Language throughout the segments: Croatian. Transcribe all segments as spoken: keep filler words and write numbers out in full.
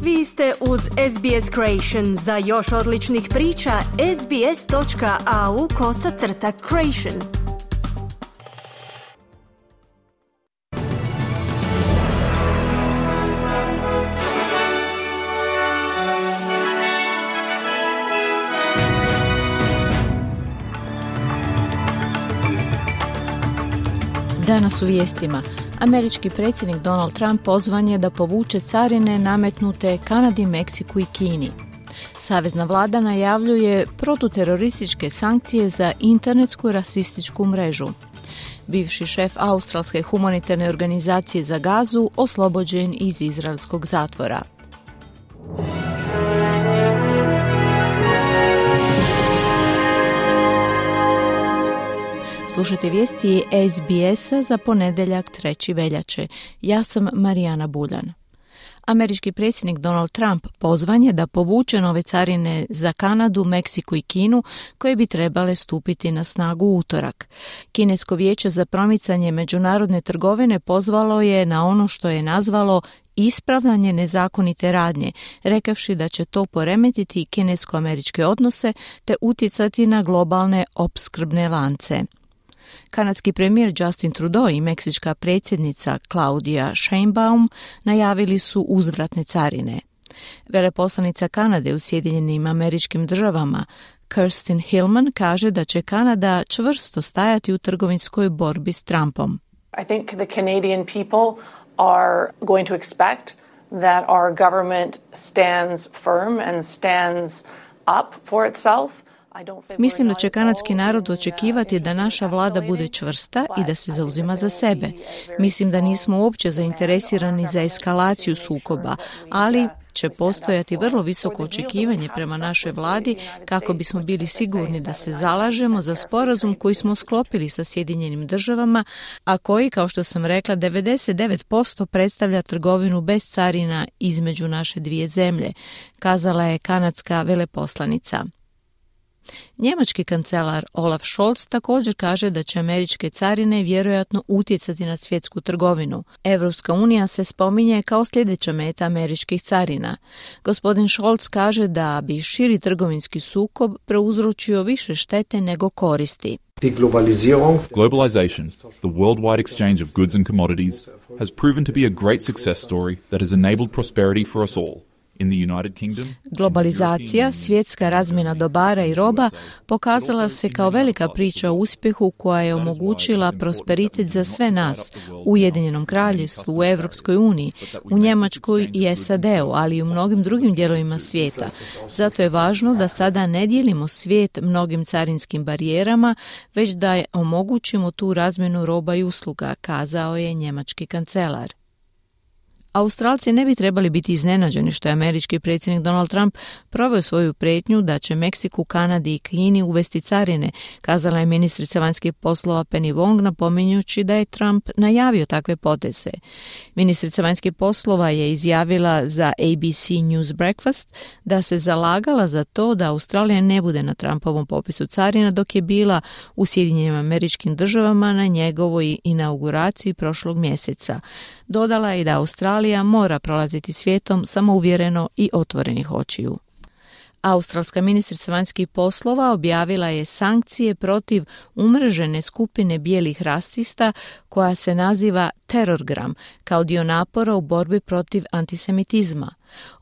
Vi ste uz S B S Creation. Za još odličnih priča, sbs.au kosacrta creation. Danas u vijestima. Američki predsjednik Donald Trump pozvan je da povuče carine nametnute Kanadi, Meksiku i Kini. Savezna vlada najavljuje protuterorističke sankcije za internetsku rasističku mrežu. Bivši šef australske humanitarne organizacije za Gazu oslobođen iz izraelskog zatvora. Slušajte vijesti S B S-a za ponedjeljak trećeg veljače. Ja sam Marijana Buljan. Američki predsjednik Donald Trump pozvan je da povuče nove carine za Kanadu, Meksiku i Kinu koje bi trebale stupiti na snagu u utorak. Kinesko vijeće za promicanje međunarodne trgovine pozvalo je na ono što je nazvalo ispravljanje nezakonite radnje, rekavši da će to poremetiti kinesko-američke odnose te utjecati na globalne opskrbne lance. Kanadski premijer Justin Trudeau i meksička predsjednica Claudia Sheinbaum najavili su uzvratne carine. Veleposlanica Kanade u Sjedinjenim Američkim Državama Kirsten Hillman kaže da će Kanada čvrsto stajati u trgovinskoj borbi s Trumpom. I think the Canadian people are going to expect that our government stands firm and stands up for itself. Mislim da će kanadski narod očekivati da naša vlada bude čvrsta i da se zauzima za sebe. Mislim da nismo uopće zainteresirani za eskalaciju sukoba, ali će postojati vrlo visoko očekivanje prema našoj vladi kako bismo bili sigurni da se zalažemo za sporazum koji smo sklopili sa Sjedinjenim Državama, a koji, kao što sam rekla, devedeset devet posto predstavlja trgovinu bez carina između naše dvije zemlje, kazala je kanadska veleposlanica. Njemački kancelar Olaf Scholz također kaže da će američke carine vjerojatno utjecati na svjetsku trgovinu. Evropska unija se spominje kao sljedeća meta američkih carina. Gospodin Scholz kaže da bi širi trgovinski sukob prouzročio više štete nego koristi. Globalization, the worldwide exchange of goods and commodities, has proven to be a great success story that has enabled prosperity for us all. Globalizacija, svjetska razmjena dobara i roba pokazala se kao velika priča o uspjehu koja je omogućila prosperitet za sve nas u Ujedinjenom Kraljevstvu, u Europskoj uniji, u Njemačkoj i S A D-u, ali i u mnogim drugim dijelovima svijeta. Zato je važno da sada ne dijelimo svijet mnogim carinskim barijerama, već da omogućimo tu razmjenu roba i usluga, kazao je njemački kancelar. Australci ne bi trebali biti iznenađeni što je američki predsjednik Donald Trump proveo svoju prijetnju da će Meksiku, Kanadi i Kini uvesti carine, kazala je ministrica vanjskih poslova Penny Wong, napominjući da je Trump najavio takve poteze. Ministrica vanjskih poslova je izjavila za A B C News Breakfast da se zalagala za to da Australija ne bude na Trumpovom popisu carina dok je bila u Sjedinjenim Američkim Državama na njegovoj inauguraciji prošlog mjeseca. Dodala je i da Australija mora prolaziti svijetom samouvjereno i otvorenih očiju. Australska ministrica vanjskih poslova objavila je sankcije protiv umrežene skupine bijelih rasista koja se naziva Terorgram kao dio napora u borbi protiv antisemitizma.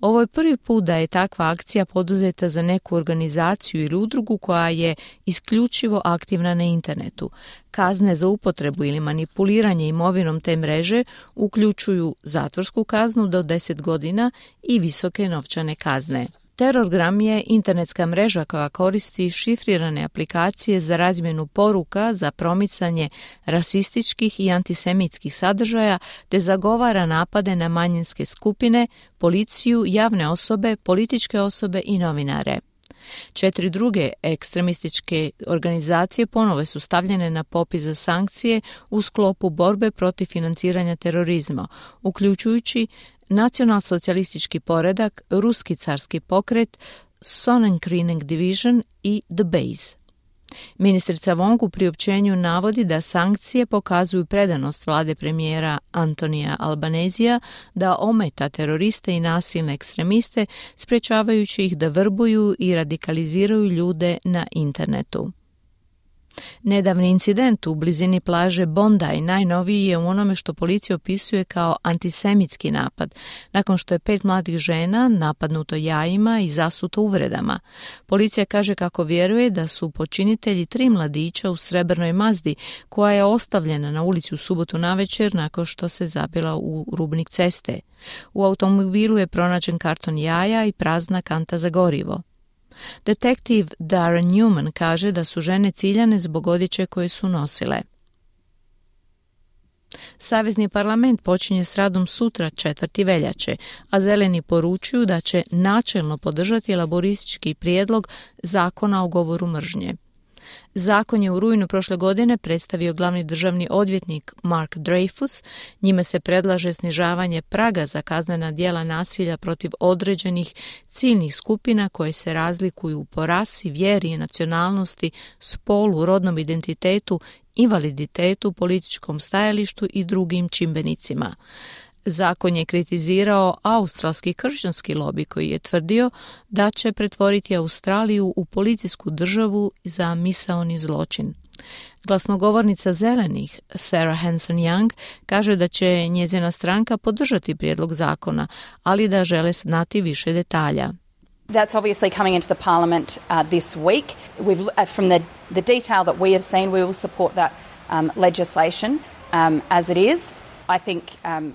Ovo je prvi put da je takva akcija poduzeta za neku organizaciju ili udrugu koja je isključivo aktivna na internetu. Kazne za upotrebu ili manipuliranje imovinom te mreže uključuju zatvorsku kaznu do deset godina i visoke novčane kazne. Terorgram je internetska mreža koja koristi šifrirane aplikacije za razmjenu poruka za promicanje rasističkih i antisemitskih sadržaja te zagovara napade na manjinske skupine, policiju, javne osobe, političke osobe i novinare. Četiri druge ekstremističke organizacije ponovo su stavljene na popis za sankcije u sklopu borbe protiv financiranja terorizma, uključujući Nacionalsocijalistički poredak, Ruski carski pokret, Sonnenkrieg Division i The Base. Ministrica Wong u priopćenju navodi da sankcije pokazuju predanost vlade premijera Antonija Albanezija da ometa teroriste i nasilne ekstremiste, sprečavajući ih da vrbuju i radikaliziraju ljude na internetu. Nedavni incident u blizini plaže Bondi najnoviji je u onome što policija opisuje kao antisemitski napad, nakon što je pet mladih žena napadnuto jajima i zasuto uvredama. Policija kaže kako vjeruje da su počinitelji tri mladića u srebrnoj Mazdi, koja je ostavljena na ulici u subotu navečer nakon što se zabila u rubnik ceste. U automobilu je pronađen karton jaja i prazna kanta za gorivo. Detektiv Darren Newman kaže da su žene ciljane zbog odjeće koje su nosile. Savezni parlament počinje s radom sutra četvrti veljače, a zeleni poručuju da će načelno podržati laboristički prijedlog zakona o govoru mržnje. Zakon je u rujnu prošle godine predstavio glavni državni odvjetnik Mark Dreyfus. Njime se predlaže snižavanje praga za kaznena djela nasilja protiv određenih ciljnih skupina koje se razlikuju po rasi, vjeri, nacionalnosti, spolu, rodnom identitetu, invaliditetu, političkom stajalištu i drugim čimbenicima. Zakon je kritizirao australski kršćanski lobi koji je tvrdio da će pretvoriti Australiju u policijsku državu za misaoni zločin. Glasnogovornica zelenih, Sarah Hanson-Young, kaže da će njezina stranka podržati prijedlog zakona, ali da žele znati više detalja. That's obviously coming into the parliament uh, this week. We've, uh, from the, the detail that we have seen, we will support that um, legislation um, as it is.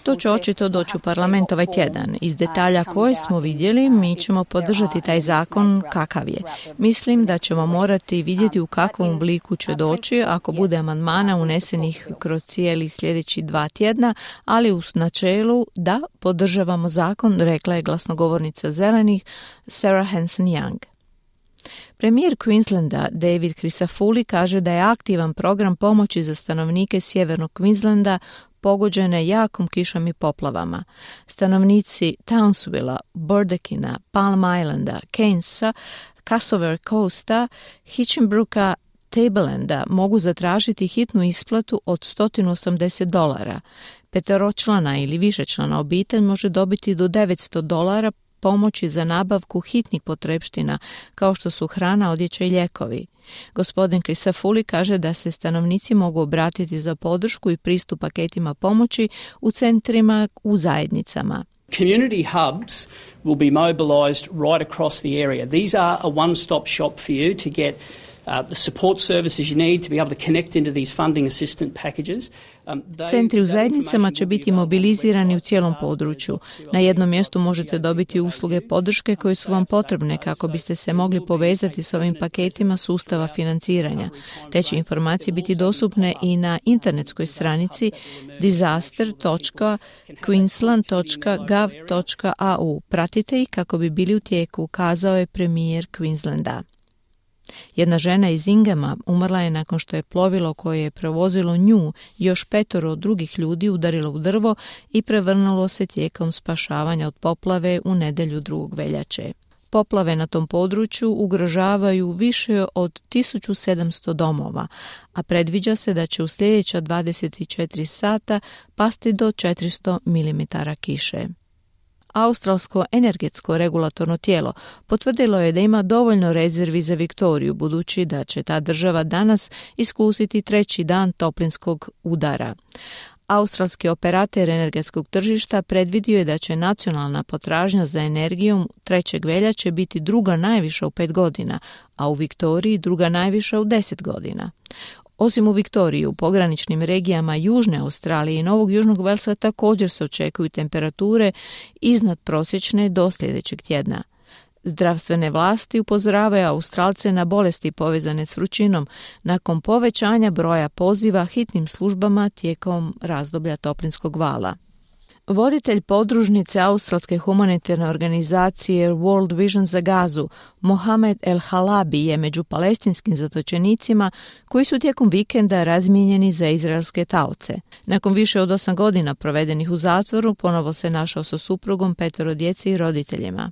To će očito doći u parlament ovaj tjedan. Iz detalja koje smo vidjeli, mi ćemo podržati taj zakon kakav je. Mislim da ćemo morati vidjeti u kakvom obliku će doći ako bude amandmana unesenih kroz cijeli sljedeći dva tjedna, ali u načelu da podržavamo zakon, rekla je glasnogovornica zelenih Sarah Hanson-Young. Premijer Queenslanda David Crisafulli kaže da je aktivan program pomoći za stanovnike sjevernog Queenslanda pogođene jakom kišom i poplavama. Stanovnici Townsvilla, Burdekina, Palm Islanda, Keynesa, Cassover Coasta, Hitchinbrooka, Tablelanda mogu zatražiti hitnu isplatu od sto osamdeset dolara. Peteročlana ili višečlana obitelj može dobiti do devetsto dolara pomoći za nabavku hitnih potrepština, kao što su hrana, odjeća i lijekovi. Gospodin Crisafulli kaže da se stanovnici mogu obratiti za podršku i pristup paketima pomoći u centrima u zajednicama. Community hubs will be mobilised right across the area. These are a one-stop shop for you to get Uh, the support services you need to be able to connect into these funding assistance packages. Um, they, Centri u zajednicama će biti mobilizirani u cijelom području. Na jednom mjestu možete dobiti usluge podrške koje su vam potrebne kako biste se mogli povezati s ovim paketima sustava financiranja. Te će informacije biti dostupne i na internetskoj stranici disaster dot queensland dot gov dot a u. Pratite ih kako bi bili u tijeku, kazao je premijer Queenslanda. Jedna žena iz Ingama umrla je nakon što je plovilo koje je prevozilo nju i još petoro drugih ljudi udarilo u drvo i prevrnulo se tijekom spašavanja od poplave u nedjelju drugog veljače. Poplave na tom području ugrožavaju više od tisuću sedamsto domova, a predviđa se da će u sljedeća dvadeset četiri sata pasti do četiristo milimetara kiše. Australsko energetsko regulatorno tijelo potvrdilo je da ima dovoljno rezervi za Viktoriju, budući da će ta država danas iskusiti treći dan toplinskog udara. Australski operater energetskog tržišta predvidio je da će nacionalna potražnja za energijom trećeg veljače biti druga najviša u pet godina, a u Viktoriji druga najviša u deset godina. Osim u Viktoriji, u pograničnim regijama Južne Australije i Novog Južnog Velsa također se očekuju temperature iznad prosječne do sljedećeg tjedna. Zdravstvene vlasti upozoravaju Australce na bolesti povezane s vrućinom nakon povećanja broja poziva hitnim službama tijekom razdoblja toplinskog vala. Voditelj podružnice australske humanitarne organizacije World Vision za Gazu Mohamed El Halabi je među palestinskim zatočenicima koji su tijekom vikenda razmijenjeni za izraelske taoce. Nakon više od osam godina provedenih u zatvoru, ponovo se našao sa suprugom, petoro djece i roditeljima.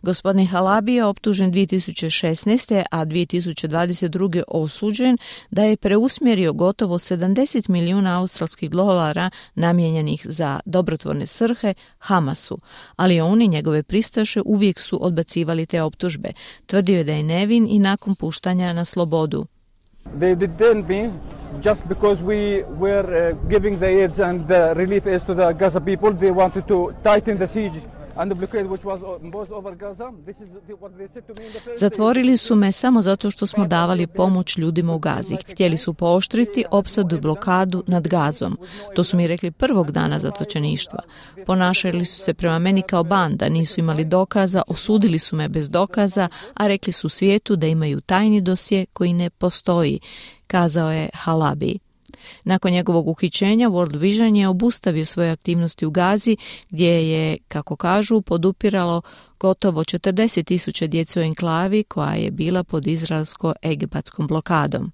Gospodin Halabi je optužen dvije tisuće šesnaeste. a dvije tisuće dvadeset druge. osuđen da je preusmjerio gotovo sedamdeset milijuna australskih dolara namijenjenih za dobrotvorne svrhe Hamasu, ali on i njegove pristaše uvijek su odbacivali te optužbe. Tvrdio je da je nevin i nakon puštanja na slobodu. They detained me just because we were uh, giving the aids and the relief aids to the Gaza people. They wanted to tighten the siege. Zatvorili su me samo zato što smo davali pomoć ljudima u Gazi. Htjeli su pooštriti opsadu i blokadu nad Gazom. To su mi rekli prvog dana zatočeništva. Ponašali su se prema meni kao banda, nisu imali dokaza, osudili su me bez dokaza, a rekli su svijetu da imaju tajni dosje koji ne postoji, kazao je Halabi. Nakon njegovog uhićenja World Vision je obustavio svoje aktivnosti u Gazi, gdje je, kako kažu, podupiralo gotovo četrdeset tisuća djece u enklavi koja je bila pod izraelsko-egipatskom blokadom.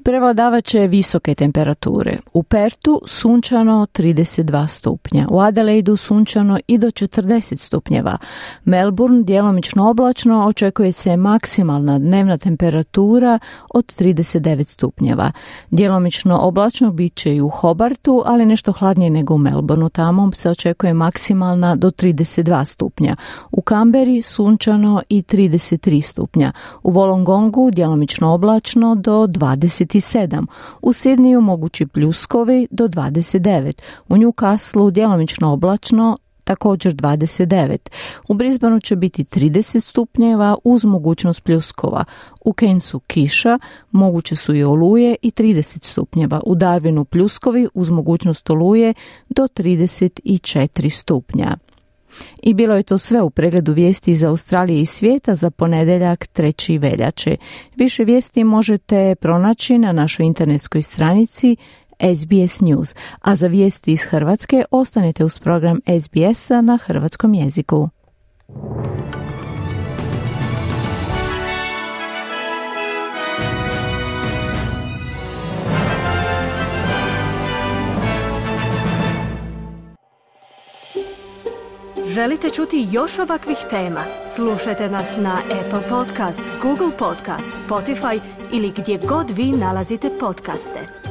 Prevladavat će visoke temperature. U Pertu sunčano trideset dva stupnja, u Adelaidu sunčano i do četrdeset stupnjeva. Melbourne djelomično oblačno, očekuje se maksimalna dnevna temperatura od trideset devet stupnjeva. Djelomično oblačno bit će i u Hobartu, ali nešto hladnije nego u Melbourneu, tamo se očekuje maksimalna do trideset dva stupnja. U Canberri sunčano i trideset tri stupnja. U Wollongongu djelomično oblačno do dvadeset sedam. U Sidneju mogući pljuskovi do dvadeset devet. U Newcastleu djelomično oblačno također dvadeset devet. U Brisbaneu će biti trideset stupnjeva uz mogućnost pljuskova. U Cairnsu kiša, moguće su i oluje i trideset stupnjeva. U Darwinu pljuskovi uz mogućnost oluje do trideset četiri stupnja. I bilo je to sve u pregledu vijesti iz Australije i svijeta za ponedjeljak trećeg veljače. Više vijesti možete pronaći na našoj internetskoj stranici S B S News, a za vijesti iz Hrvatske ostanite uz program S B S-a na hrvatskom jeziku. Želite čuti još ovakvih tema? Slušajte nas na Apple Podcast, Google Podcast, Spotify ili gdje god vi nalazite podcaste.